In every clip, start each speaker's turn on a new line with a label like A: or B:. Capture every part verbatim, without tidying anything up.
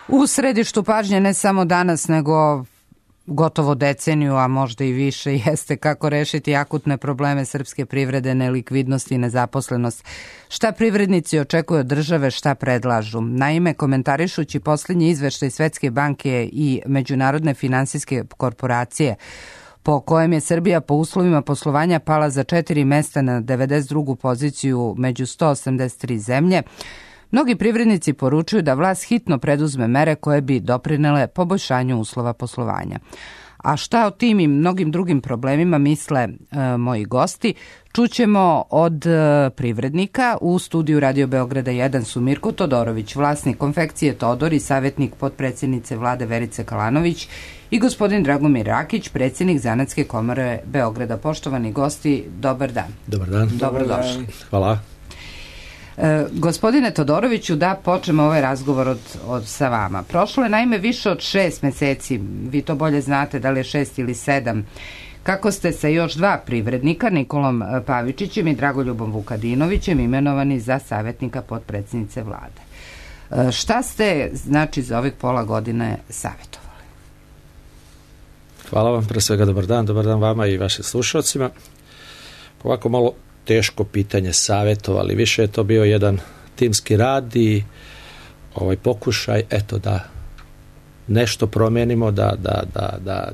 A: U središtu pažnje ne samo danas, nego gotovo deceniju, a možda i više, jeste kako rešiti akutne probleme srpske privrede, nelikvidnost i nezaposlenost. Šta privrednici očekuju od države, šta predlažu? Naime, komentarišući posljednji izveštaj Svetske banke i Međunarodne finansijske korporacije, po kojem je Srbija po uslovima poslovanja pala za četiri mesta na devedeset drugu poziciju među sto osamdeset tri zemlje, mnogi privrednici poručuju da vlast hitno preduzme mere koje bi doprinele poboljšanju uslova poslovanja. A šta o tim i mnogim drugim problemima misle e, moji gosti, čućemo od e, privrednika. U studiju Radio Beograda jedan su Mirko Todorović, vlasnik konfekcije Todor i savjetnik potpredsjednice vlade Verice Kalanović, i gospodin Dragomir Rakić, predsjednik Zanatske komore Beograda. Poštovani gosti, dobar dan.
B: Dobar dan.
A: Dobrodošli.
B: Hvala.
A: E, gospodine Todoroviću, da počnemo ovaj razgovor od, od sa vama. Prošlo je naime više od šest meseci, vi to bolje znate da li je šest ili sedam, kako ste sa još dva privrednika, Nikolom Pavičićem i Dragoljubom Vukadinovićem, imenovani za savjetnika potpredsjednice vlade. E, šta ste, znači, za ovih pola godine savjetovali?
B: Hvala vam, pre svega dobar dan, dobar dan vama i vašim slušalcima. Ovako malo teško pitanje savjetovali, više je to bio jedan timski rad i ovaj pokušaj, eto, da nešto promijenimo, da, da, da, da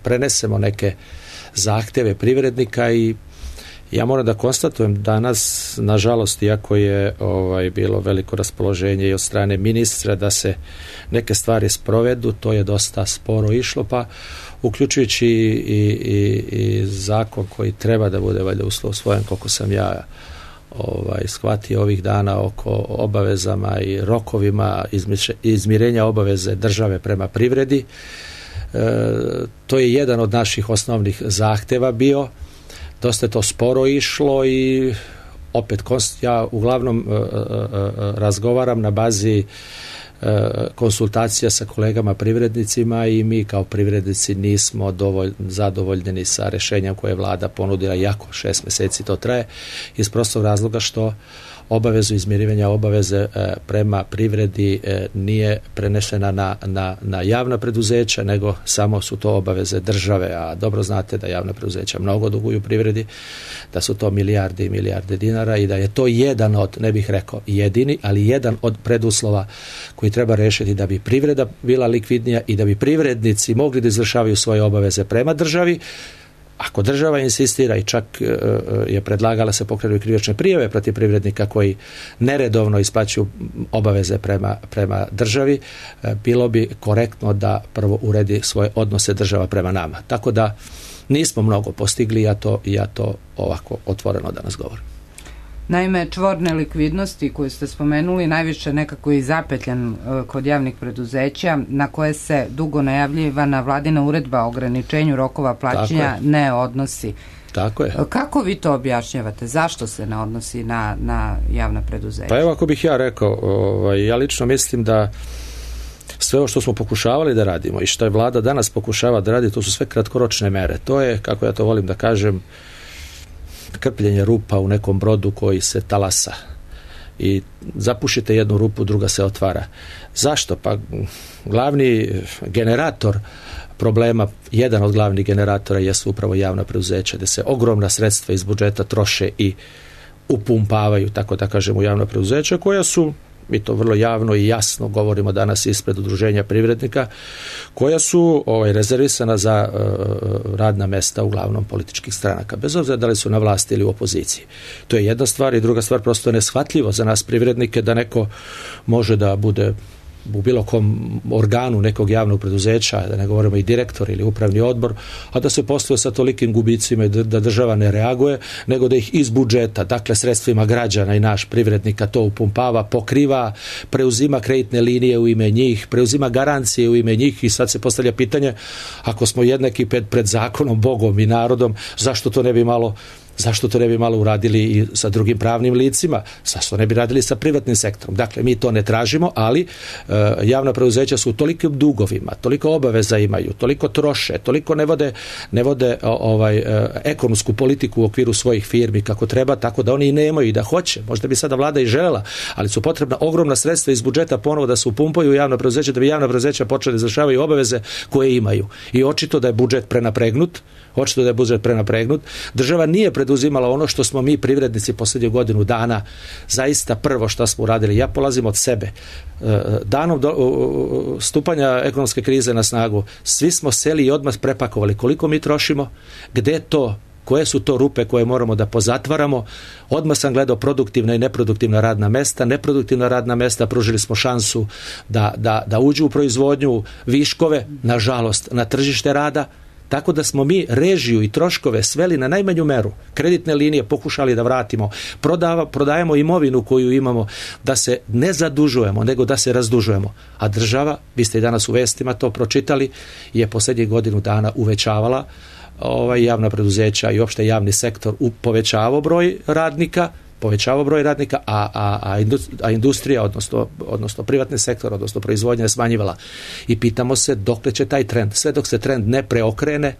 B: prenesemo neke zahtjeve privrednika. I ja moram da konstatujem danas, nažalost, iako je ovaj, bilo veliko raspoloženje i od strane ministra da se neke stvari sprovedu, to je dosta sporo išlo, pa uključujući i, i, i zakon koji treba da bude valjda uslov svojem, koliko sam ja ovaj, shvatio ovih dana oko obavezama i rokovima izmirenja obaveze države prema privredi. E, to je jedan od naših osnovnih zahtjeva bio. Dosta je to sporo išlo i opet ja uglavnom e, e, razgovaram na bazi konsultacija sa kolegama privrednicima i mi kao privrednici nismo dovolj, zadovoljni sa rješenjem koje je vlada ponudila, jako šest mjeseci to traje, iz prostog razloga što obavezu izmirivanja obaveze e, prema privredi e, nije prenešena na, na, na javna preduzeća, nego samo su to obaveze države, a dobro znate da javna preduzeća mnogo duguju privredi, da su to milijarde i milijarde dinara i da je to jedan od, ne bih rekao jedini, ali jedan od preduslova koji treba rešiti da bi privreda bila likvidnija i da bi privrednici mogli da izvršavaju svoje obaveze prema državi. Ako država insistira i čak je predlagala se pokrenuti krivične prijave protiv privrednika koji neredovno isplaćuju obaveze prema, prema državi, bilo bi korektno da prvo uredi svoje odnose država prema nama. Tako da nismo mnogo postigli, ja to, ja to ovako otvoreno danas govorim.
A: Naime, čvor nelikvidnosti koju ste spomenuli najviše nekako i zapetljan kod javnih preduzeća, na koje se dugo najavljivana vladina uredba o ograničenju rokova plaćanja ne odnosi.
B: Tako je.
A: Kako vi to objašnjavate? Zašto se ne odnosi na, na javna preduzeća?
B: Pa evo, ako bih ja rekao, ovaj, ja lično mislim da sve ovo što smo pokušavali da radimo i što je vlada danas pokušava da radi, to su sve kratkoročne mere. To je, kako ja to volim da kažem, krpljenje rupa u nekom brodu koji se talasa i zapušite jednu rupu, druga se otvara. Zašto? Pa glavni generator problema, jedan od glavnih generatora jesu upravo javna preduzeća, gdje se ogromna sredstva iz budžeta troše i upumpavaju, tako da kažem, u javna preduzeća koja su, mi to vrlo javno i jasno govorimo danas ispred udruženja privrednika, koja su ovaj, rezervisana za uh, radna mesta uglavnom političkih stranaka, bez obzira da li su na vlasti ili u opoziciji. To je jedna stvar i druga stvar, prosto je neshvatljivo za nas privrednike da neko može da bude u bilo kom organu nekog javnog preduzeća, da ne govorimo i direktor ili upravni odbor, a da se posluje sa tolikim gubicima i da država ne reaguje, nego da ih iz budžeta, dakle sredstvima građana i naš privrednika to upumpava, pokriva, preuzima kreditne linije u ime njih, preuzima garancije u ime njih i sad se postavlja pitanje, ako smo jednaki pred, pred zakonom, Bogom i narodom, zašto to ne bi malo Zašto to ne bi malo uradili i sa drugim pravnim licima? Zašto ne bi radili sa privatnim sektorom? Dakle, mi to ne tražimo, ali e, javna preduzeća su u tolikim dugovima, toliko obaveza imaju, toliko troše, toliko ne vode, ne vode ovaj, e, ekonomsku politiku u okviru svojih firmi kako treba, tako da oni i nemaju i da hoće. Možda bi sada vlada i želela, ali su potrebna ogromna sredstva iz budžeta ponovo da se upumpaju u javna preduzeća, da bi javna preduzeća počeli da izvršavaju obaveze koje imaju. I očito da je budžet prenapregnut, očito da je budžet prenapregnut. Država nije preduzimala ono što smo mi privrednici posljednju godinu dana zaista prvo što smo uradili. Ja polazim od sebe. Danom do, stupanja ekonomske krize na snagu svi smo seli i odmah prepakovali koliko mi trošimo, gde to, koje su to rupe koje moramo da pozatvaramo. Odmah sam gledao produktivna i neproduktivna radna mesta. Neproduktivna radna mesta pružili smo šansu da, da, da uđu u proizvodnju viškove, nažalost, na tržište rada. Tako da smo mi režiju i troškove sveli na najmanju meru. Kreditne linije pokušali da vratimo. Prodava, prodajemo imovinu koju imamo, da se ne zadužujemo, nego da se razdužujemo. A država, vi ste i danas u vestima to pročitali, je posljednjih godinu dana uvećavala ovaj, javna preduzeća i opšte javni sektor povećavao broj radnika, povećavao broj radnika, a, a, a industrija, odnosno, odnosno privatni sektor, odnosno proizvodnja je smanjivala. I pitamo se dokle će taj trend. Sve dok se trend ne preokrene,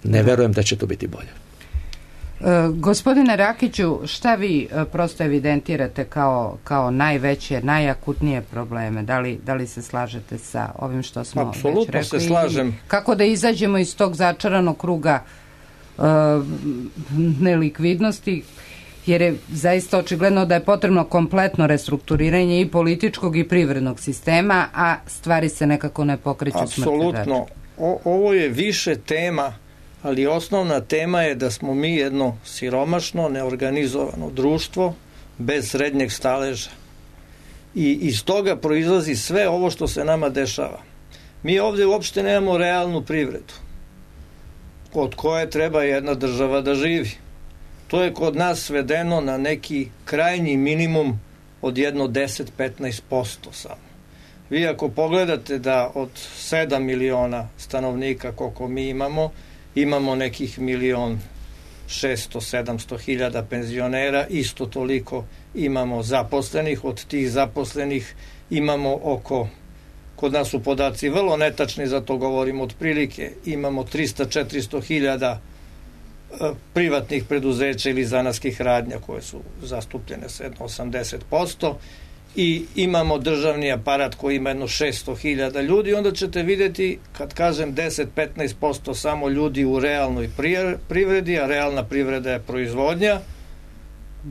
B: ne verujem da će to biti bolje.
A: E, gospodine Rakiću, šta vi e, prosto evidentirate kao, kao najveće, najakutnije probleme? Da li, da li se slažete sa ovim što smo
C: Apsolutno
A: već rekli?
C: Apsolutno se slažem.
A: Kako da izađemo iz tog začaranog kruga e, nelikvidnosti? Jer je zaista očigledno da je potrebno kompletno restrukturiranje i političkog i privrednog sistema, a stvari se nekako ne pokreću smrtne račune.
C: Apsolutno. Ovo je više tema, ali osnovna tema je da smo mi jedno siromašno, neorganizovano društvo bez srednjeg staleža. I iz toga proizlazi sve ovo što se nama dešava. Mi ovdje uopšte nemamo realnu privredu od koje treba jedna država da živi. To je kod nas svedeno na neki krajnji minimum od jedno deset do petnaest posto samo. Vi ako pogledate da od sedam miliona stanovnika koliko mi imamo, imamo nekih milion šesto sedamsto hiljada penzionera, isto toliko imamo zaposlenih, od tih zaposlenih imamo oko, kod nas su podaci vrlo netačni, zato govorimo otprilike, imamo trista do četiristo hiljada privatnih preduzeća ili zanatskih radnja koje su zastupljene sa jedno osamdeset posto i imamo državni aparat koji ima jedno šesto hiljada ljudi, onda ćete vidjeti, kad kažem deset do petnaest posto samo ljudi u realnoj privredi, a realna privreda je proizvodnja,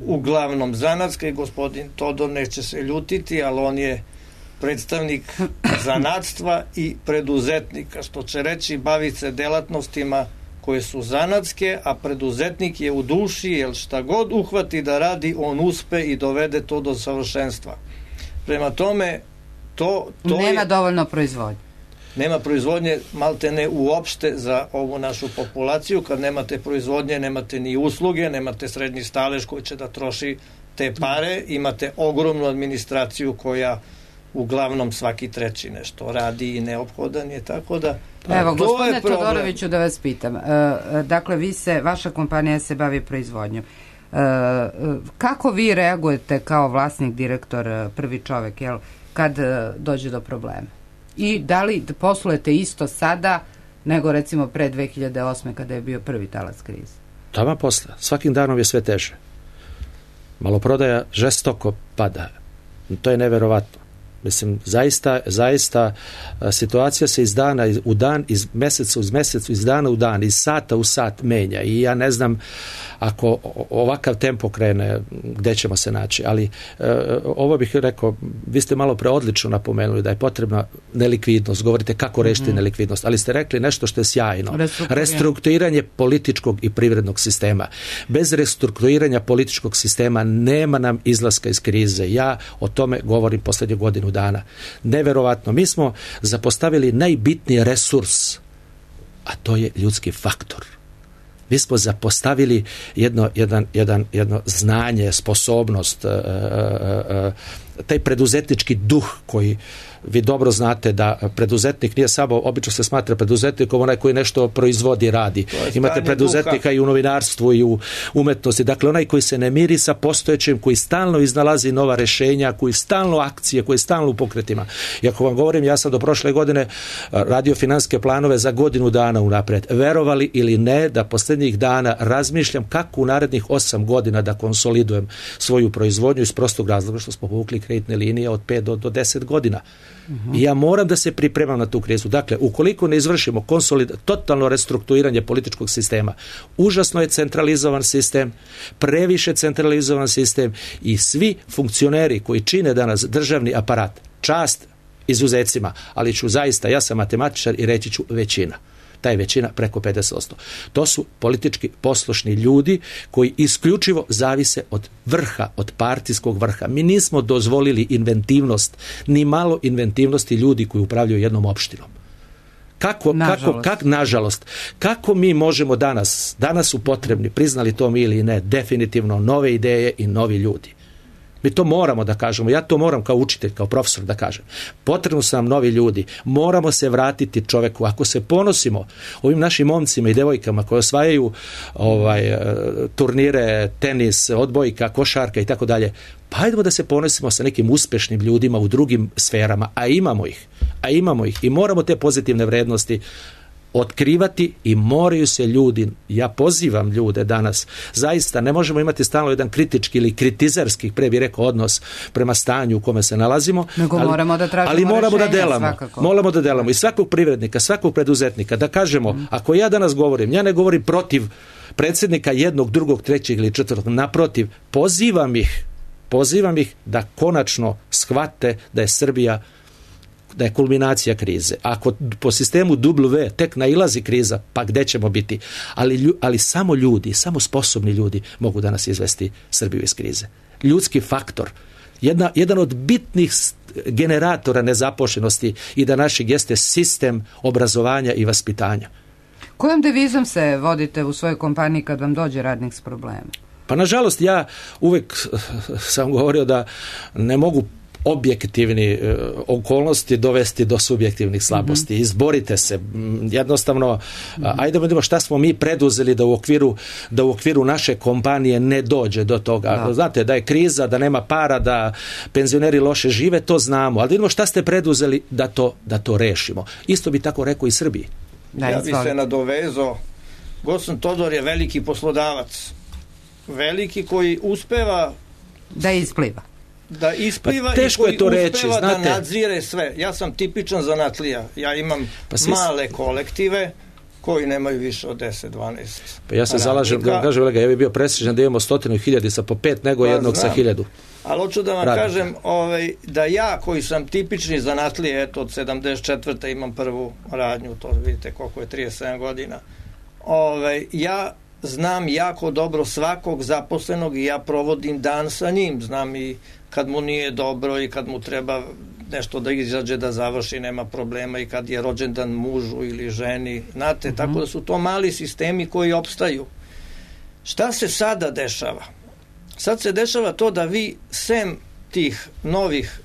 C: uglavnom zanatska, i gospodin Todor neće se ljutiti, ali on je predstavnik zanatstva i preduzetnika, što će reći bavi se delatnostima koje su zanatske, a preduzetnik je u duši, jer šta god uhvati da radi, on uspe i dovede to do savršenstva. Prema tome, to, to
A: nema
C: je,
A: dovoljno proizvodnje.
C: Nema proizvodnje malte ne uopšte za ovu našu populaciju. Kad nemate proizvodnje, nemate ni usluge, nemate srednji stalež koji će da troši te pare, imate ogromnu administraciju koja uglavnom svaki treći nešto radi i neophodan je, tako da
A: evo, gospodine Todoroviću, da vas pitam, e, dakle, vi se, vaša kompanija se bavi proizvodnjom. E, kako vi reagujete kao vlasnik, direktor, prvi čovek, jel, kad dođe do problema? I da li poslujete isto sada nego recimo pre dve hiljade osme kada je bio prvi talas krize?
B: Tamo posle. Svakim danom je sve teže. Maloprodaja žestoko pada. To je neverovatno. Mislim, zaista, zaista situacija se iz dana u dan, iz meseca uz mesec, iz dana u dan, iz sata u sat menja i ja ne znam ako ovakav tempo krene gde ćemo se naći, ali e, ovo bih rekao, vi ste malo preodlično napomenuli da je potrebna nelikvidnost, govorite kako rešiti mm-hmm. nelikvidnost, ali ste rekli nešto što je sjajno. Restrukturiranje. Restrukturiranje političkog i privrednog sistema. Bez restrukturiranja političkog sistema nema nam izlaska iz krize. Ja o tome govorim posljednju godinu dana. Neverovatno. Mi smo zapostavili najbitniji resurs, a to je ljudski faktor. Mi smo zapostavili jedno, jedan, jedan, jedno znanje, sposobnost, uh, uh, uh, taj preduzetnički duh koji vi dobro znate da preduzetnik nije samo, obično se smatra preduzetnikom onaj koji nešto proizvodi i radi. Imate preduzetnika duha i u novinarstvu i u umetnosti. Dakle, onaj koji se ne miri sa postojećim, koji stalno iznalazi nova rješenja, koji stalno akcije, koji stalno u pokretima. I ako vam govorim, ja sam do prošle godine radio financijske planove za godinu dana unaprijed. Verovali ili ne, da posljednjih dana razmišljam kako u narednih osam godina da konsolidujem svoju proizvodnju iz prostog razloga što smo povukli kreditne linije od pet do deset godina. Uh-huh. I ja moram da se pripremam na tu krizu. Dakle, ukoliko ne izvršimo konsolid, totalno restrukturiranje političkog sistema, užasno je centralizovan sistem, previše centralizovan sistem i svi funkcioneri koji čine danas državni aparat, čast izuzecima, ali ću zaista, ja sam matematičar i reći ću većina. Ta je većina preko pedeset posto. To su politički poslušni ljudi koji isključivo zavise od vrha, od partijskog vrha. Mi nismo dozvolili inventivnost, ni malo inventivnosti ljudi koji upravljaju jednom opštinom. Kako, nažalost. Kako, kak, nažalost, kako mi možemo danas, danas su potrebni, priznali to mi ili ne, definitivno nove ideje i novi ljudi. Mi to moramo da kažemo, ja to moram kao učitelj, kao profesor da kažem. Potrebno su nam novi ljudi, moramo se vratiti čoveku. Ako se ponosimo ovim našim momcima i devojkama koji osvajaju ovaj, turnire, tenis, odbojka, košarka i tako dalje, pa hajdemo da se ponosimo sa nekim uspešnim ljudima u drugim sferama, a imamo ih, a imamo ih i moramo te pozitivne vrednosti otkrivati i moraju se ljudi, ja pozivam ljude danas, zaista ne možemo imati stalno jedan kritički ili kritizerski, pre bi rekao, odnos prema stanju u kome se nalazimo,
A: nego ali moramo da tražimo
B: ali moramo
A: rešenja,
B: da delamo,
A: svakako.
B: moramo da delamo i svakog privrednika, svakog preduzetnika, da kažemo, mm. ako ja danas govorim, ja ne govorim protiv predsjednika jednog, drugog, trećeg ili četvrtog, naprotiv, pozivam ih, pozivam ih da konačno shvate da je Srbija, da je kulminacija krize. Ako po sistemu W tek nailazi kriza, pa gde ćemo biti? Ali, ali samo ljudi, samo sposobni ljudi mogu danas izvesti Srbiju iz krize. Ljudski faktor, jedna, jedan od bitnih generatora nezaposlenosti i da našeg jeste sistem obrazovanja i vaspitanja.
A: Kojom devizom se vodite u svojoj kompaniji kad vam dođe radnik s problemom?
B: Pa nažalost, ja uvek sam govorio da ne mogu objektivni e, okolnosti dovesti do subjektivnih slabosti. Mm-hmm. Izborite se. Jednostavno, mm-hmm. ajde da vidimo šta smo mi preduzeli da u okviru, da u okviru naše kompanije ne dođe do toga. Da. Znate, da je kriza, da nema para, da penzioneri loše žive, to znamo. Ali vidimo šta ste preduzeli da to, da to rešimo. Isto bi tako rekao i Srbiji.
C: Da, ja bi se nadovezao. Gosan Todor je veliki poslodavac. Veliki koji uspeva
A: da ispliva.
C: Da ispliva
B: pa teško
C: i koji
B: je to
C: uspeva
B: reći, znate.
C: Da nadzire sve. Ja sam tipičan zanatlija. Ja imam pa svi... male kolektive koji nemaju više od deset dvanaest.
B: Pa ja se radnika. Zalažem, da vam kažem, ja bih bio presrećan da imamo stotinu hiljadi sa po pet nego pa jednog znam. Sa hiljadu.
C: Ali hoću da vam radnika. Kažem ovaj, da ja koji sam tipični zanatlije, eto od sedamdeset četvrte imam prvu radnju, to vidite koliko je trideset sedam godina. Ovaj, ja znam jako dobro svakog zaposlenog i ja provodim dan sa njim. Znam i kad mu nije dobro i kad mu treba nešto da izađe da završi, nema problema, i kad je rođendan mužu ili ženi. Znate, uh-huh. tako da su to mali sistemi koji opstaju. Šta se sada dešava? Sad se dešava to da vi sem tih novih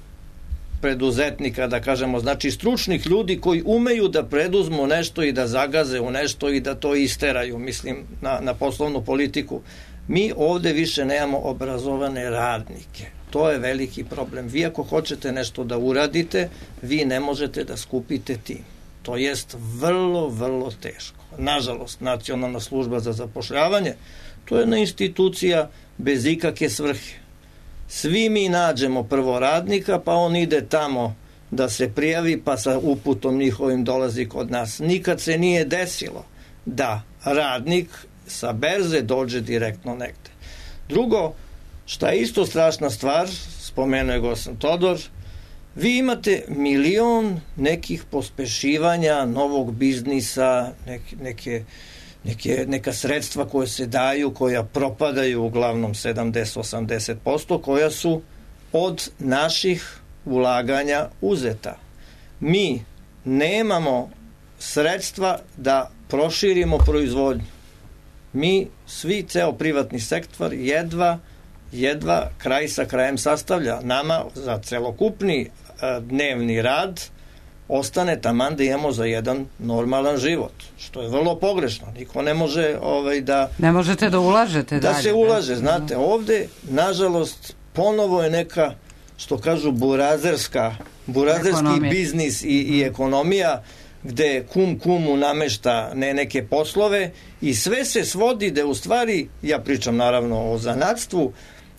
C: preduzetnika, da kažemo, znači stručnih ljudi koji umeju da preduzmu nešto i da zagaze u nešto i da to isteraju, mislim, na, na poslovnu politiku. Mi ovde više nemamo obrazovane radnike. To je veliki problem. Vi ako hoćete nešto da uradite, vi ne možete da skupite tim. To jest vrlo, vrlo teško. Nažalost, Nacionalna služba za zapošljavanje, to je jedna institucija bez ikakve svrhe. Svi mi nađemo prvo radnika, pa on ide tamo da se prijavi, pa sa uputom njihovim dolazi kod nas. Nikad se nije desilo da radnik sa berze dođe direktno negde. Drugo, šta je isto strašna stvar, spomenuo je Gosan Todor, vi imate milion nekih pospešivanja novog biznisa, neke, neke, neke, neka sredstva koje se daju, koja propadaju uglavnom sedamdeset do osamdeset posto, koja su od naših ulaganja uzeta. Mi nemamo sredstva da proširimo proizvodnju. Mi, svi, ceo privatni sektor, jedva jedva kraj sa krajem sastavlja. Nama za celokupni a, dnevni rad ostane taman da imamo za jedan normalan život, što je vrlo pogrešno. Niko ne može ovaj, da...
A: Ne možete da ulažete
C: da
A: dalje.
C: Da se ulaže, da? Znate, ovde, nažalost, ponovo je neka, što kažu, burazerska, burazerski ekonomija. Biznis i, i ekonomija, gde kum kumu namešta ne neke poslove i sve se svodi da u stvari, ja pričam naravno o zanatstvu,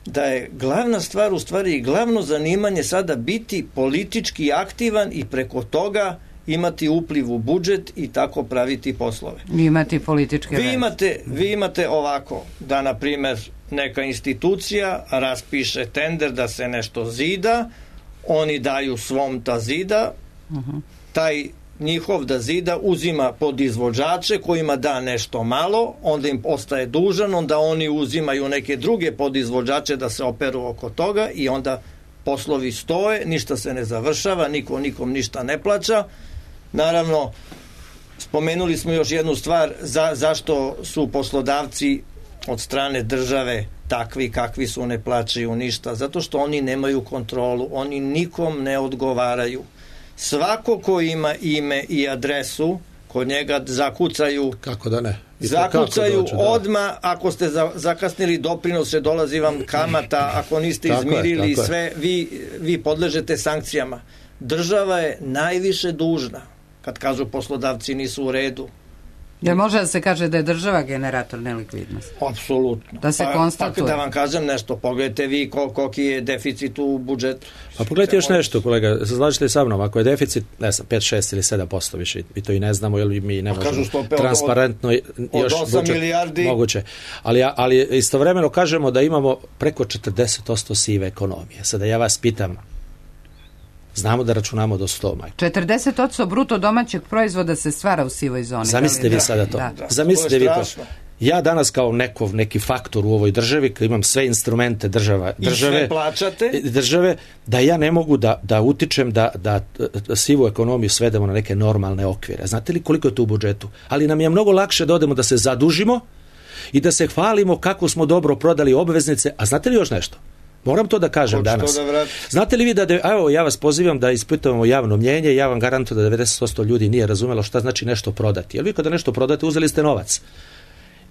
C: da je glavna stvar u stvari i glavno zanimanje sada biti politički aktivan i preko toga imati upliv u budžet i tako praviti poslove.
A: Imati političke
C: vi imate, vi imate ovako, da na primer neka institucija raspiše tender da se nešto zida, oni daju svom ta zida, uh-huh. taj njihov da zida uzima podizvođače kojima da nešto malo, onda im ostaje dužan, onda oni uzimaju neke druge podizvođače da se operu oko toga i onda poslovi stoje, ništa se ne završava, niko nikom ništa ne plaća. Naravno, spomenuli smo još jednu stvar, za, zašto su poslodavci od strane države takvi kakvi su, ne plaćaju ništa, zato što oni nemaju kontrolu, oni nikom ne odgovaraju. Svako ko ima ime i adresu, kod njega zakucaju,
B: kako da ne,
C: zakucaju dođu, da. Odmah, ako ste za, zakasnili doprinose, dolazi vam kamata, ako niste tako izmirili je, sve, je. vi, vi podležete sankcijama. Država je najviše dužna, kad kažu poslodavci nisu u redu.
A: Jer može da se kaže da je država generator nelikvidnosti?
C: Apsolutno.
A: Da se pa, konstatuje.
C: Pa, da vam kažem nešto, pogledajte vi kol, koliki je deficit u budžetu.
B: Pa pogledajte još nešto, kolega, slažete sa mnom, ako je deficit, ne znam, pet, šest ili sedam posto više, mi to i ne znamo, jer mi ne možemo transparentno
C: od, od
B: još
C: osam
B: budžet,
C: milijardi.
B: Moguće. Ali, ali istovremeno kažemo da imamo preko četrdeset posto sive ekonomije. Sada ja vas pitam, znamo da računamo do sto, majko.
A: četrdeset posto bruto domaćeg proizvoda se stvara u sivoj zoni.
B: Zamislite vi sada to. Da. Zamislite vi to. Ja danas kao neko, neki faktor u ovoj državi, kad imam sve instrumente država, države, države, da ja ne mogu da, da utičem da, da, da sivu ekonomiju svedemo na neke normalne okvire. Znate li koliko je to u budžetu? Ali nam je mnogo lakše da odemo da se zadužimo i da se hvalimo kako smo dobro prodali obveznice. A znate li još nešto? Moram to da kažem Hoću danas. Da Znate li vi da, de, evo ja vas pozivam da ispitujemo javno mnjenje, ja vam garantujem da devedeset posto ljudi nije razumelo šta znači nešto prodati. Jer vi kada nešto prodate, uzeli ste novac.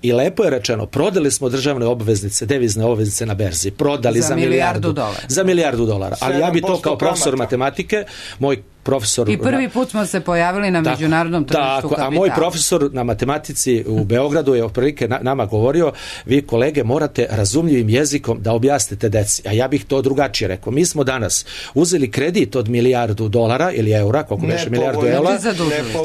B: I lepo je rečeno, prodali smo državne obveznice, devizne obveznice na berzi, prodali za, za milijardu, milijardu dolara. Za milijardu dolara. Ali ja bi to kao profesor kamata. matematike, moj profesor...
A: I prvi put smo se pojavili na tako, međunarodnom tržištu tako, kapitala.
B: A moj profesor na matematici u Beogradu je otprilike na, nama govorio, vi kolege morate razumljivim jezikom da objasnite deci. A ja bih to drugačije rekao. Mi smo danas uzeli kredit od milijardu dolara ili eura, koliko veše milijardu eura,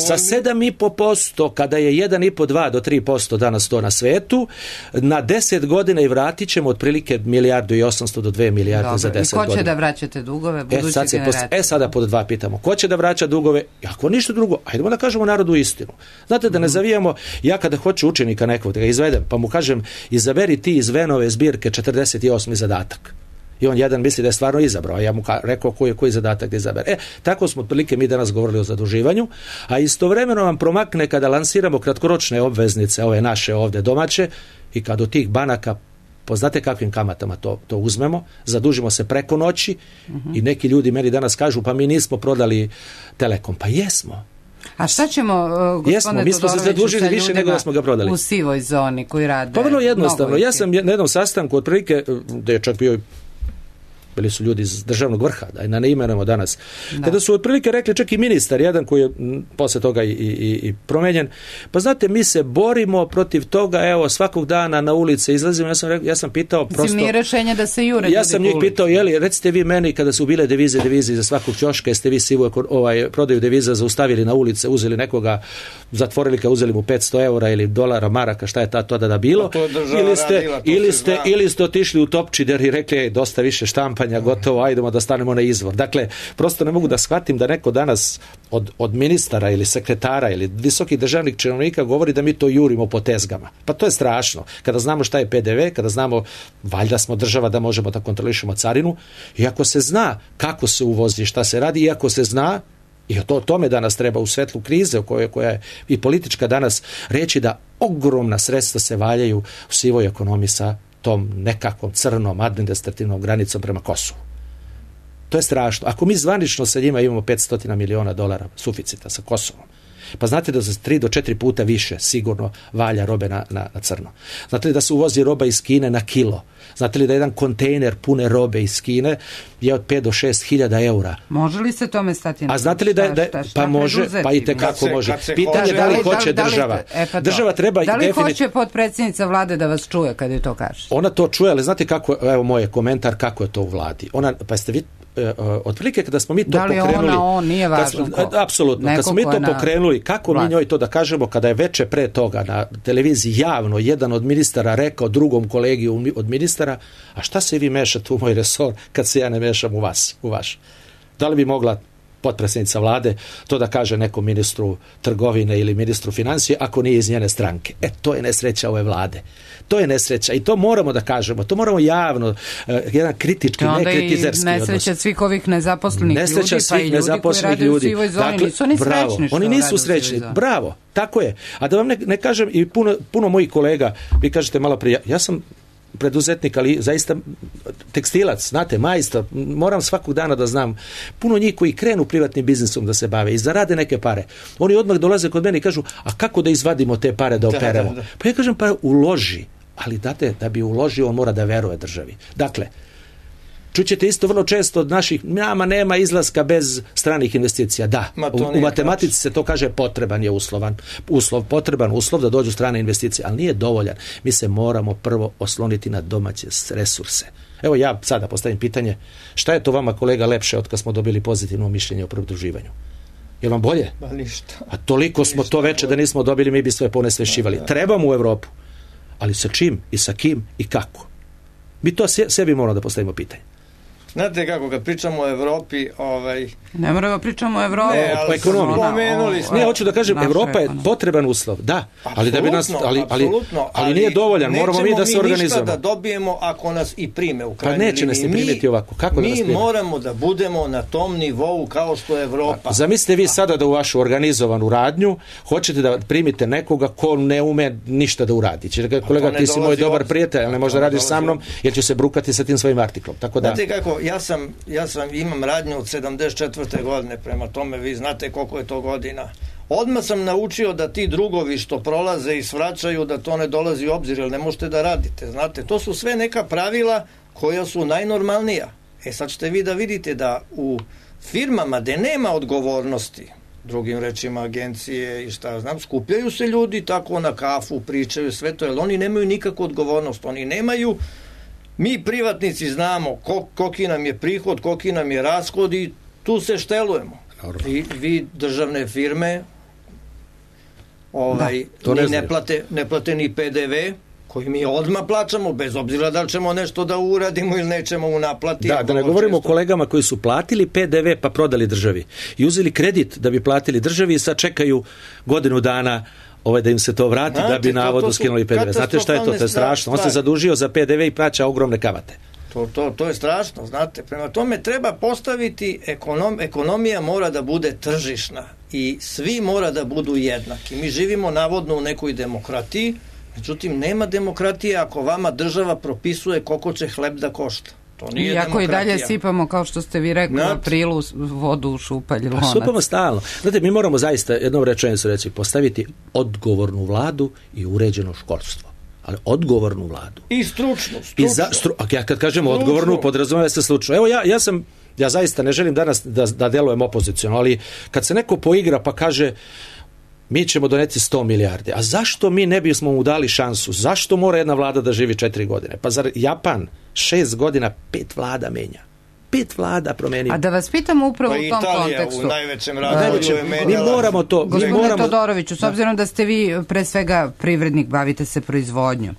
B: sa sedam i po posto kada je jedan i po dva do tri posto danas to na svetu, na deset godina i vratit ćemo otprilike milijardu i osamsto do dve milijarde Dobre. za deset godina.
A: I ko će godina. da vraćate dugove buduće
B: e,
A: generacije?
B: E sada pod dva pitamo. Ko će da vraća dugove? Ako ništa drugo, ajdemo da kažemo narodu istinu. Znate, da ne zavijamo, ja kada hoću učenika nekog da ga izvedem, pa mu kažem, izaberi ti iz Venove zbirke četrdeset osmi zadatak. I on jedan misli da je stvarno izabrao, a ja mu rekao koji je koji zadatak da izabere. E, tako smo otprilike mi danas govorili o zaduživanju, a istovremeno vam promakne kada lansiramo kratkoročne obveznice, ove naše ovde domaće, i kad od tih banaka, poznate kakvim kamatama to, to uzmemo, zadužimo se preko noći uh-huh. i neki ljudi meni danas kažu, pa mi nismo prodali Telekom. Pa jesmo.
A: A šta ćemo, uh, gospodine
B: mi smo se zadužili više nego da smo ga prodali.
A: U sivoj zoni koji rade?
B: Pa vrlo jednostavno. Ja sam na jednom sastanku otprilike, da je čak bio, bili su ljudi iz državnog vrha, da ne imenujemo danas, da. Kada su otprilike rekli, čak i ministar jedan koji je posle toga i, i, i promenjen, pa znate, mi se borimo protiv toga, evo, svakog dana na ulice izlazimo, ja sam, rekao, ja sam pitao prosto...
A: Nije rešenje da se jure.
B: Ja sam njih pitao, jeli, recite vi meni, kada su bile devize, devize za svakog ćoška, jeste vi sivu ovaj, prodaju deviza zaustavili na ulice, uzeli nekoga, zatvorili ga, uzeli mu petsto eura ili dolara, maraka, šta je ta to da da bilo, ili ste, radila, ili, ste, ili ste otišli u Topčider i rekli, dosta više štampa, gotovo, ajdemo da stanemo na izvor. Dakle, prosto ne mogu da shvatim da neko danas od, od ministara ili sekretara ili visokih državnih činovnika govori da mi to jurimo po tezgama. Pa to je strašno. Kada znamo šta je pe de ve, kada znamo, valjda smo država da možemo da kontrolišemo carinu, i ako se zna kako se uvozi, šta se radi, i ako se zna, i to tome danas treba u svetlu krize u kojoj, koja je i politička danas, reći da ogromna sredstva se valjaju u sivoj ekonomiji sa tom nekakvom crnom administrativnom granicom prema Kosovu. To je strašno. Ako mi zvanično sa njima imamo petsto miliona dolara suficita sa Kosovom, pa znate da za tri do četiri puta više sigurno valja robe na, na, na crno. Znate li da se uvozi roba iz Kine na kilo? Znate li da jedan kontejner pune robe iz Kine je od pet do šest hiljada eura?
A: Može li se tome stati na?
B: A znate li da, da šta, šta pa može, pa i tekako može. Pitanje da li hoće da li, država. Da li, e pa država treba
A: da li
B: definit...
A: hoće potpredsjednica vlade da vas čuje kad je to kaže?
B: Ona to čuje, ali znate kako, evo moj komentar kako je to u vladi. Ona, pa ste vi otprilike kada smo mi to pokrenuli,
A: da li ona, on, nije važno ko.
B: Apsolutno, kad smo mi to pokrenuli, kako vlast. Mi njoj to da kažemo kada je veče pre toga na televiziji javno jedan od ministara rekao drugom kolegi od ministara, a šta se vi mešate u moj resor kad se ja ne mešam u vas, u vaš? Da li bi mogla potpredsjednica vlade to da kaže nekom ministru trgovine ili ministru financije ako nije iz njene stranke? E, to je nesreća ove vlade. To je nesreća i to moramo da kažemo. To moramo javno, uh, jedan kritički, ne kritizerski odnos.
A: Nesreća svih ovih nezaposlenih
B: nesreća
A: ljudi, pa i ljudi koji rade u sivoj zoni. Dakle, nisu oni
B: bravo,
A: srećni što
B: oni nisu srećni. Bravo, tako je. A da vam ne, ne kažem, i puno, puno mojih kolega, vi kažete malo prije, ja sam preduzetnik, ali zaista tekstilac, znate, majstor, moram svakog dana da znam puno njih koji krenu privatnim biznisom da se bave i zarade neke pare. Oni odmah dolaze kod mene i kažu, a kako da izvadimo te pare da operemo? Da, da, da. Pa ja kažem, pa uloži, ali date, da bi uložio, on mora da veruje državi. Dakle, čućete isto vrlo često od naših, nama nema izlaska bez stranih investicija. Da, u, u matematici se to kaže potreban je uslovan, uslov, potreban uslov da dođu strane investicije, ali nije dovoljan. Mi se moramo prvo osloniti na domaće resurse. Evo ja sada postavim pitanje, šta je to vama kolega lepše od kad smo dobili pozitivno mišljenje o pridruživanju? Je vam bolje?
C: Ba ništa.
B: A toliko smo
C: ništa
B: to veče da nismo dobili, mi bi sve ponesvešćivali. Da, da. Trebamo u Evropu, ali sa čim i sa kim i kako? Mi to sebi moramo da postavimo pitanje.
C: Znate kako, kad pričamo o Evropi, ovaj...
A: Ne moramo pričamo o Evropi.
C: Ne, ali smo pomenuli smo.
B: Ne, hoću da kažem, Evropa je potreban uslov, da, ali da bi nas, ali, ali, ali nije dovoljan, moramo mi da se organizujemo.
C: Nećemo mi ništa da dobijemo ako nas i prime u krajnjoj liniji.
B: Pa neće nas ni primiti ovako, kako da nas prime?
C: Mi moramo da budemo na tom nivou kao što je Evropa.
B: Zamislite vi sada da u vašu organizovanu radnju hoćete da primite nekoga ko ne ume ništa da uradi. Će kolega, ti si moj dobar prijatelj, ali ne možda radiš sa mnom, jer će se brukati sa tim svojim artiklom. Tako da.
C: Znate kako, ja sam, ja sam, imam radnju od sedamdeset četvrte godine, prema tome vi znate koliko je to godina. Odmah sam naučio da ti drugovi što prolaze i svraćaju, da to ne dolazi u obzir, jer ne možete da radite. Znate, to su sve neka pravila koja su najnormalnija. E sad ćete vi da vidite da u firmama gde nema odgovornosti, drugim rečima agencije i šta znam, skupljaju se ljudi tako na kafu, pričaju sve to, jer oni nemaju nikakvu odgovornost. Oni nemaju. Mi privatnici znamo koliki nam je prihod, koliki nam je rashod i tu se štelujemo. I vi državne firme ovaj, da, ne, ne, plate, ne plate ni P D V koji mi odmah plaćamo, bez obzira da li ćemo nešto da uradimo ili nećemo u naplati.
B: Da, da ne govorimo često o kolegama koji su platili P D V pa prodali državi i uzeli kredit da bi platili državi i sad čekaju godinu dana ovaj da im se to vrati. Znate, da bi navodno skinuli P D V. Znate šta je to? To je strašno. On se zadužio za P D V i plaća ogromne kamate.
C: To, to, to je strašno, znate. Prema tome treba postaviti, ekonom, ekonomija mora da bude tržišna i svi mora da budu jednaki. Mi živimo navodno u nekoj demokratiji, međutim nema demokratije ako vama država propisuje koliko će hleb da košta. To nije
A: iako
C: demokratija.
A: I dalje sipamo, kao što ste vi rekli, u aprilu vodu u šupalj lonac.
B: Pa supamo stalno. Znate, mi moramo zaista jednom rečenicu reći, postaviti odgovornu vladu i uređeno školstvo. Ali odgovornu vladu.
C: I stručnu. stručnu.
B: I za, stru, ja kad kažem stručnu. Odgovornu, podrazumeva se stručno. Evo ja, ja sam, ja zaista ne želim danas da, da delujem opoziciono, ali kad se neko poigra pa kaže mi ćemo doneti sto milijardi, a zašto mi ne bismo mu dali šansu? Zašto mora jedna vlada da živi četiri godine? Pa zar Japan šest godina pet vlada menja? Pet vlada promenio.
A: A da vas pitam upravo
C: pa
A: u tom
C: Italija,
A: kontekstu.
C: U najvećem razvoju je menjala.
B: Mi moramo to.
A: Gospodine
B: moramo...
A: Todoroviću, s obzirom da ste vi pre svega privrednik, bavite se proizvodnjom,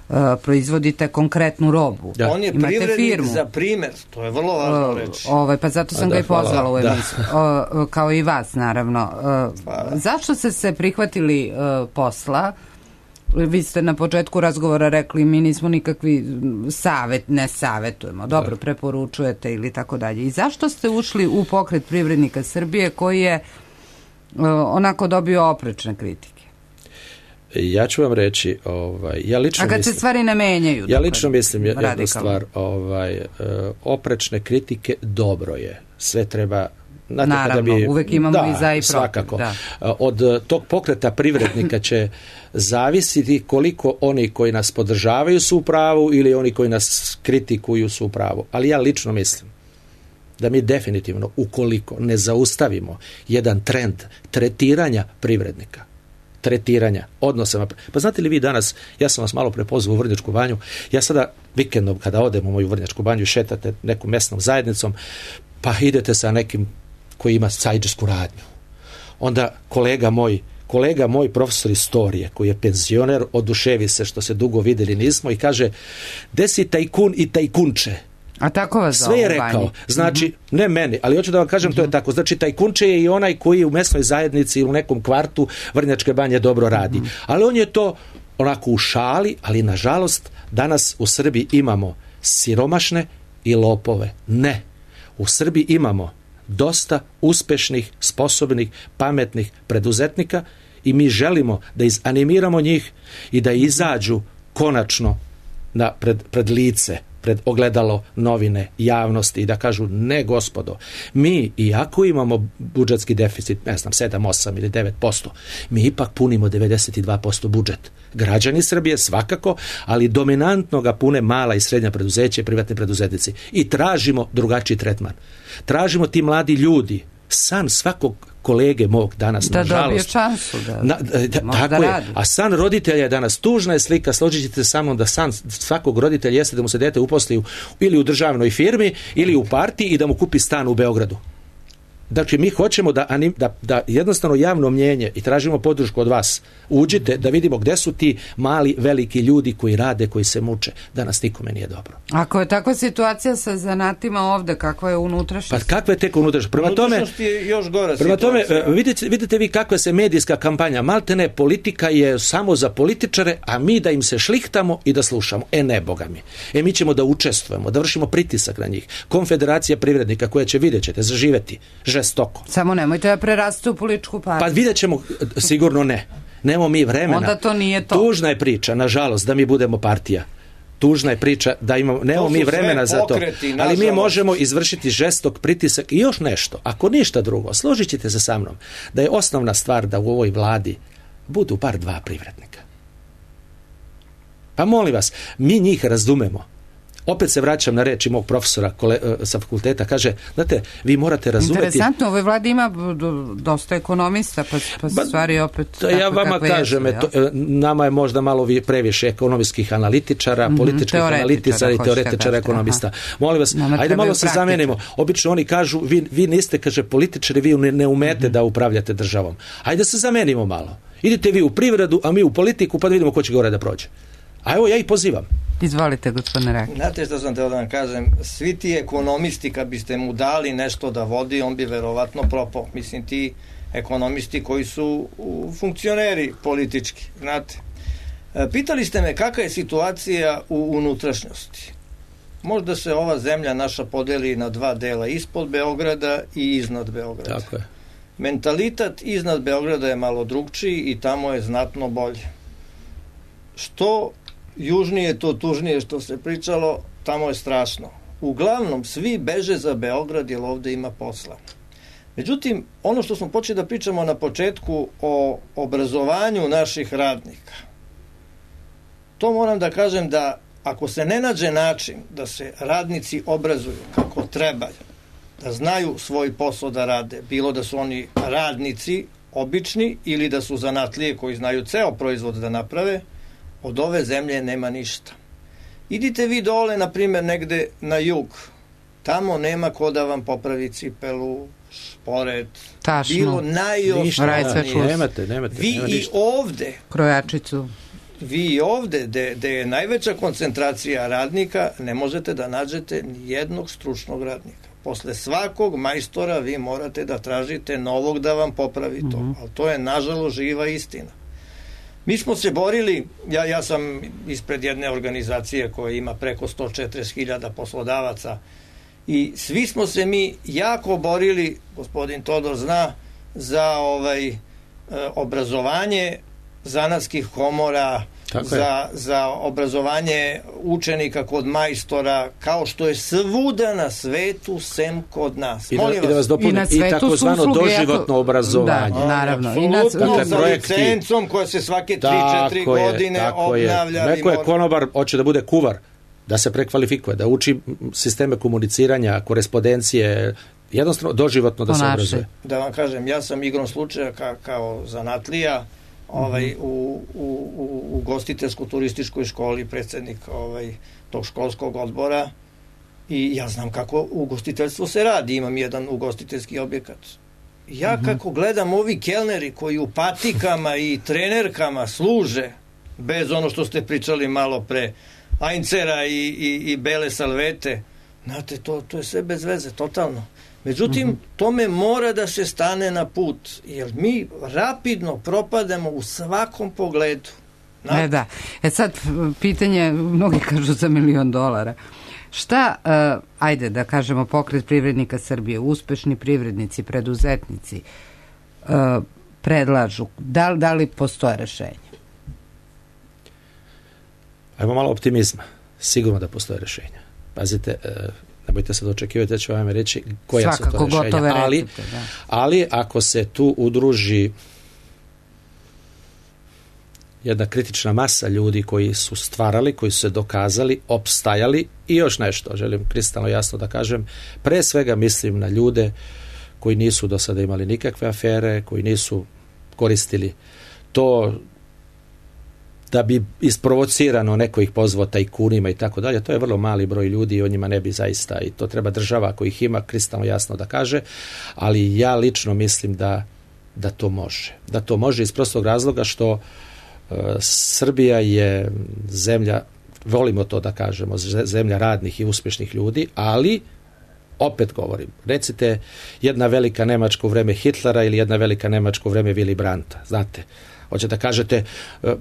A: uh, proizvodite konkretnu robu.
C: Da. On je
A: imate
C: privrednik
A: firmu.
C: Za primer, to je vrlo važno reći.
A: Uh, ovaj, pa zato sam da, ga i pozvala u emisiju. Uh, kao i vas, naravno. Uh, zašto ste se prihvatili uh, posla? Vi ste na početku razgovora rekli mi nismo nikakvi savet, ne savetujemo, dobro, preporučujete ili tako dalje. I zašto ste ušli u pokret privrednika Srbije koji je uh, onako dobio oprečne kritike?
B: Ja ću vam reći, ovaj, ja lično
A: A kad
B: mislim,
A: se stvari ne menjaju?
B: Ja lično mislim jednu
A: radikalno.
B: stvar, ovaj, oprečne kritike dobro je. Sve treba... Znate,
A: Naravno,
B: bi,
A: uvek imamo
B: da,
A: i za i protiv.
B: Svakako.
A: Da.
B: Od tog pokreta privrednika će zavisiti koliko oni koji nas podržavaju su u pravu ili oni koji nas kritikuju su u pravu. Ali ja lično mislim da mi definitivno, ukoliko ne zaustavimo jedan trend tretiranja privrednika, tretiranja, odnosama. Pa znate li vi danas, ja sam vas malo prepozvao u Vrnjačku banju, ja sada vikendom kada odem u moju Vrnjačku banju i šetate nekom mesnom zajednicom, pa idete sa nekim koji ima sajđesku radnju. Onda kolega moj, kolega moj profesor istorije, koji je penzioner, oduševi se što se dugo videli nismo i kaže, desi tajkun i tajkunče.
A: A tako vas
B: sve je rekao. Znači, mm-hmm. ne meni, ali hoću da vam kažem, mm-hmm. to je tako. Znači, tajkunče je i onaj koji u mesnoj zajednici ili u nekom kvartu Vrnjačke banje dobro radi. Mm-hmm. Ali on je to onako u šali, ali nažalost danas u Srbiji imamo siromašne i lopove. Ne. U Srbiji imamo dosta uspešnih, sposobnih, pametnih preduzetnika i mi želimo da izanimiramo njih i da izađu konačno na pred, pred lice, pred ogledalo novine, javnosti i da kažu ne gospodo, mi iako imamo budžetski deficit, ne znam, sedam, osam ili devet posto, mi ipak punimo devedeset dva posto budžet. Građani Srbije svakako, ali dominantno ga pune mala i srednja preduzeća i privatni preduzetnici. I tražimo drugačiji tretman. Tražimo ti mladi ljudi, san svakog kolege mog danas,
A: da
B: nažalost. Da
A: dobije šansu. Da,
B: na, da, tako je. A san roditelja je danas, tužna je slika, složit ćete sa mnom da san svakog roditelja jeste da mu se dete uposli u, ili u državnoj firmi ili u partiji i da mu kupi stan u Beogradu. Znači, mi hoćemo da, da, da jednostavno javno mnjenje i tražimo podršku od vas. Uđite da vidimo gde su ti mali, veliki ljudi koji rade, koji se muče. Danas nikome nije dobro.
A: Ako je takva situacija sa zanatima ovde, kakva je unutrašnjost?
B: Pa kakva je tek unutrašnjost? Prema tome,
C: je još gora
B: prema tome
C: situacija.
B: vidite, vidite vi kakva se medijska kampanja. Maltene politika je samo za političare, a mi da im se šlihtamo i da slušamo. E ne, boga mi. E mi ćemo da učestvujemo, da vršimo pritisak na njih. Konfederacija privrednika koja će, vidjet ćete, zaživeti žestoko.
A: Samo nemojte da preraste u političku partiju.
B: Pa vidjet ćemo, sigurno ne. Nemo mi vremena.
A: Onda to nije to.
B: Tužna je priča, nažalost, da mi budemo partija. Tužna je priča da imamo, nemamo mi vremena za to.
C: Pokreti,
B: ali mi možemo izvršiti žestok pritisak i još nešto. Ako ništa drugo, složit ćete se sa mnom da je osnovna stvar da u ovoj vladi budu bar dva privrednika. Pa molim vas, mi njih razumemo. Opet se vraćam na reči mog profesora kole, sa fakulteta, kaže, znate, vi morate razumeti...
A: Interesantno, u ovoj vladi ima dosta ekonomista, pa, pa ba, stvari opet...
B: Takve, ja vama kažem, jesu, to, nama je možda malo previše ekonomskih analitičara, mm-hmm, političkih analitičara i teoretičara ekonomista. Aha. Molim vas, nama ajde malo se zamenimo. Obično oni kažu, vi, vi niste, kaže, političari, vi ne, ne umete mm-hmm. da upravljate državom. Ajde se zamenimo malo. Idite vi u privredu, a mi u politiku, pa da vidimo ko će gore da prođe. A evo, ja ih pozivam.
A: Izvolite, gospodine Rakić.
C: Znate što sam teo da vam kažem, svi ti ekonomisti, kad biste mu dali nešto da vodi, on bi verovatno propao. Mislim, ti ekonomisti koji su funkcioneri politički, znate. Pitali ste me kakva je situacija u unutrašnjosti. Možda se ova zemlja naša podeli na dva dela, ispod Beograda i iznad Beograda.
B: Tako je.
C: Mentalitet iznad Beograda je malo drugčiji i tamo je znatno bolje. Što južnije, to tužnije što se pričalo, tamo je strašno. Uglavnom, svi beže za Beograd jer ovde ima posla. Međutim, ono što smo počeli da pričamo na početku o obrazovanju naših radnika, to moram da kažem da ako se ne nađe način da se radnici obrazuju kako treba, da znaju svoj posao da rade, bilo da su oni radnici obični ili da su zanatlije koji znaju ceo proizvod da naprave, od ove zemlje nema ništa. Idite vi dole, na primjer, negde na jug. Tamo nema ko da vam popravi cipelu, šporet,
A: tašno,
C: bilo najosnovnije.
B: Nemate, nemate.
C: Vi
B: nema
C: i
B: ništa.
C: ovde,
A: krojačicu.
C: Vi i ovde, gde je najveća koncentracija radnika, ne možete da nađete ni jednog stručnog radnika. Posle svakog majstora vi morate da tražite novog da vam popravi to. Mm-hmm. Ali to je, nažalost, živa istina. Mi smo se borili, ja, ja sam ispred jedne organizacije koja ima preko sto četrdeset hiljada poslodavaca i svi smo se mi jako borili, gospodin Todor zna, za ovaj, obrazovanje zanatskih komora, za, za obrazovanje učenika kod majstora, kao što je svuda na svetu, sem kod nas.
B: I, da, i da vas dopunim, i, i takozvano doživotno obrazovanje.
A: Da, naravno.
C: Apsolutno, dakle, sa projekti, licencom koja se svake tri četiri godine obnavlja.
B: Neko je konobar, hoće da bude kuvar, da se prekvalifikuje, da uči sisteme komuniciranja, korespondencije, jednostavno doživotno da se obrazuje.
C: Da vam kažem, ja sam igrom slučaja ka, kao zanatlija ovaj, mm-hmm. u, u, u, u gostiteljsko-turističkoj školi predsjednik ovaj, tog školskog odbora i ja znam kako ugostiteljstvo se radi, imam jedan ugostiteljski objekat. Ja mm-hmm. kako gledam ovi kelneri koji u patikama i trenerkama služe, bez ono što ste pričali malo pre, ajncera i, i, i bele salvete, znate, to, to je sve bez veze, totalno. Međutim, mm-hmm. tome mora da se stane na put, jer mi rapidno propademo u svakom pogledu.
A: E da. E sad, pitanje, mnogi kažu za milion dolara. Šta, uh, ajde da kažemo, Pokret privrednika Srbije, uspešni privrednici, preduzetnici, uh, predlažu? Da, da li postoje rešenje?
B: Ajmo malo optimizma. Sigurno da postoje rešenja. Pazite, uh, nemojte sad očekivati da ću vam reći koja
A: svakako,
B: su to rešenja. Ali,
A: recite, da.
B: ali ako se tu udruži jedna kritična masa ljudi koji su stvarali, koji su se dokazali, opstajali i još nešto, želim kristalno jasno da kažem, pre svega mislim na ljude koji nisu do sada imali nikakve afere, koji nisu koristili to da bi isprovocirano neko ih pozvao tajkunima i tako dalje, to je vrlo mali broj ljudi i o njima ne bi zaista, i to treba država ako ih ima kristalno jasno da kaže, ali ja lično mislim da, da to može. Da to može iz prostog razloga što uh, Srbija je zemlja, volimo to da kažemo, zemlja radnih i uspješnih ljudi, ali opet govorim, recite jedna velika Nemačka u vreme Hitlera ili jedna velika Nemačka u vreme Willy Brandta, znate, hoćete da kažete,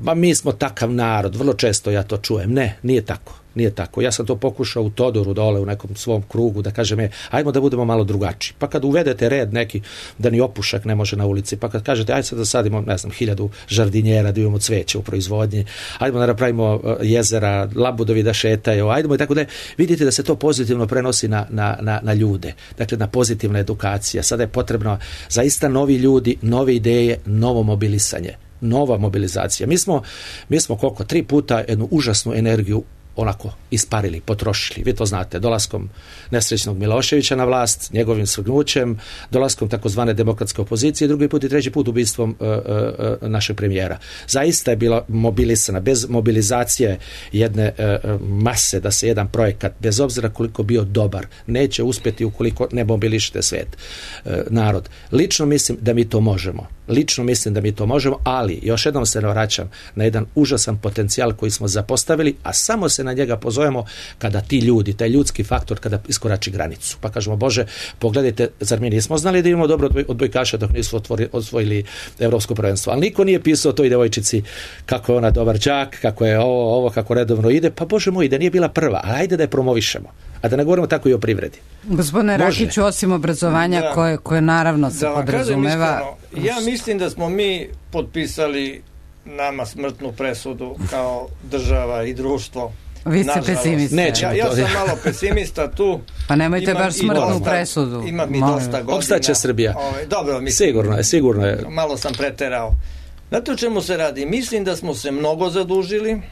B: ma mi smo takav narod, vrlo često ja to čujem. Ne, nije tako, nije tako. Ja sam to pokušao u Todoru dole, u nekom svom krugu, da kažem, je, ajmo da budemo malo drugačiji. Pa kad uvedete red neki, da ni opušak ne može na ulici, pa kad kažete, ajde sad da sadimo, ne znam, hiljadu žardinjera, da imamo cveće u proizvodnji, ajdemo da napravimo jezera, labudovi da šetaju, ajdemo i tako da vidite da se to pozitivno prenosi na, na, na, na ljude. Dakle, na pozitivna edukacija. Sada je potrebno zaista novi ljudi, nove ideje, novo mobilisanje. Nova mobilizacija. Mi smo, mi smo koliko, tri puta jednu užasnu energiju onako isparili, potrošili. Vi to znate, dolaskom nesrećnog Miloševića na vlast, njegovim svrgnućem, dolaskom takozvane demokratske opozicije, drugi put i treći put ubistvom uh, uh, našeg premijera. Zaista je bila mobilisana, bez mobilizacije jedne uh, mase da se jedan projekat, bez obzira koliko bio dobar, neće uspjeti ukoliko ne mobilišete svet, uh, narod. Lično mislim da mi to možemo. Lično mislim da mi to možemo, ali još jednom se vraćam na jedan užasan potencijal koji smo zapostavili, a samo se na njega pozovemo kada ti ljudi, taj ljudski faktor, kada iskorači granicu. Pa kažemo, Bože, pogledajte, zar mi nismo znali da imamo dobro odbojkaša dok nisu otvori, osvojili evropsko prvenstvo, ali niko nije pisao toj devojčici kako je ona dobar đak, kako je ovo, ovo, kako redovno ide, pa Bože moj, da nije bila prva, ali ajde da je promovišemo. A da ne govorimo tako i o privredi.
A: Gospodine Rakiću, osim obrazovanja da, koje, koje naravno se
C: da
A: podrazumeva...
C: Iskreno, ja mislim da smo mi potpisali nama smrtnu presudu kao država i društvo.
A: Vi ste pesimista.
C: Ja, ja sam malo pesimista tu.
A: Pa nemojte
C: imam
A: baš smrtnu
C: dosta,
A: presudu.
C: Imam i dosta godina.
B: Opstaće Srbija.
C: Ovaj, dobro, mislim,
B: sigurno je, sigurno je.
C: Malo sam preterao. Znate o čemu se radi? Mislim da smo se mnogo zadužili.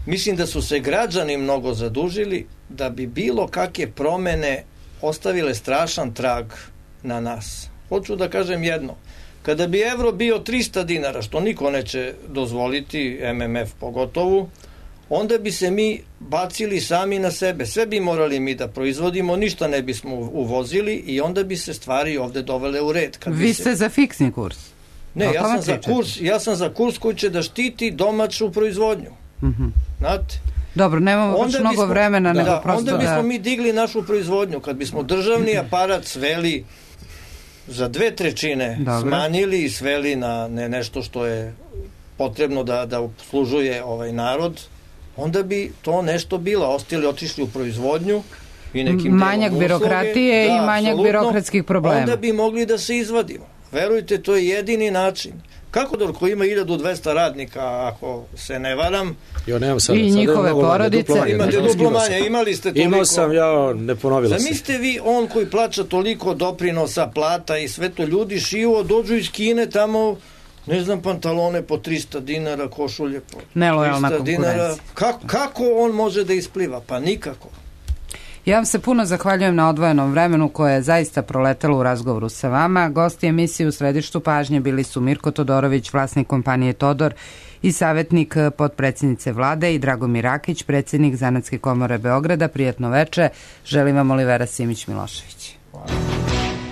C: Mislim da su se građani mnogo zadužili da bi bilo kakve promene ostavile strašan trag na nas. Hoću da kažem jedno. Kada bi evro bio trista dinara, što niko neće dozvoliti, M M F pogotovo, onda bi se mi bacili sami na sebe. Sve bi morali mi da proizvodimo, ništa ne bismo uvozili i onda bi se stvari ovde dovele u red. Kad
A: Vi
C: se...
A: ste za fiksni kurs?
C: Ne, ja sam za kurs, ja sam za kurs koji će da štiti domaću proizvodnju. Mm-hmm. Znate?
A: Dobro, nemamo baš mnogo bismo, vremena.
C: Da,
A: nego prosto
C: onda bismo
A: da...
C: mi digli našu proizvodnju. Kad bismo državni aparat sveli za dve trećine, Dobre. smanjili i sveli na ne, nešto što je potrebno da, da obslužuje ovaj narod, onda bi to nešto bilo. Ostali otišli u proizvodnju i nekim
A: manjak birokratije
C: da,
A: i manjak birokratskih problema.
C: Onda bi mogli da se izvadimo. Verujte, to je jedini način. Kako Dor koji ima hiljadu dvesta radnika, ako se ne varam,
B: jo, nemam sad,
A: i
B: sad
A: njihove porodice.
C: Imate duplo manje, imali ste toliko.
B: Imao sam, ja ne ponovila se.
C: Zamislite vi, on koji plaća toliko doprinosa, plata i sve to, ljudi šivo, dođu iz Kine tamo, ne znam, pantalone po trista dinara, košulje po
A: nelojalna
C: trista dinara.
A: konkurencija.
C: Kako, kako on može da ispliva? Pa nikako.
A: Ja vam se puno zahvaljujem na odvojenom vremenu koje je zaista proletelo u razgovoru sa vama. Gosti emisije u središtu pažnje bili su Mirko Todorović, vlasnik kompanije Todor i savjetnik potpredsjednice vlade, i Dragomir Rakić, predsjednik Zanatske komore Beograda. Prijatno veče. Želim vam Olivera Simić Milošević.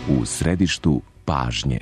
D: U središtu pažnje.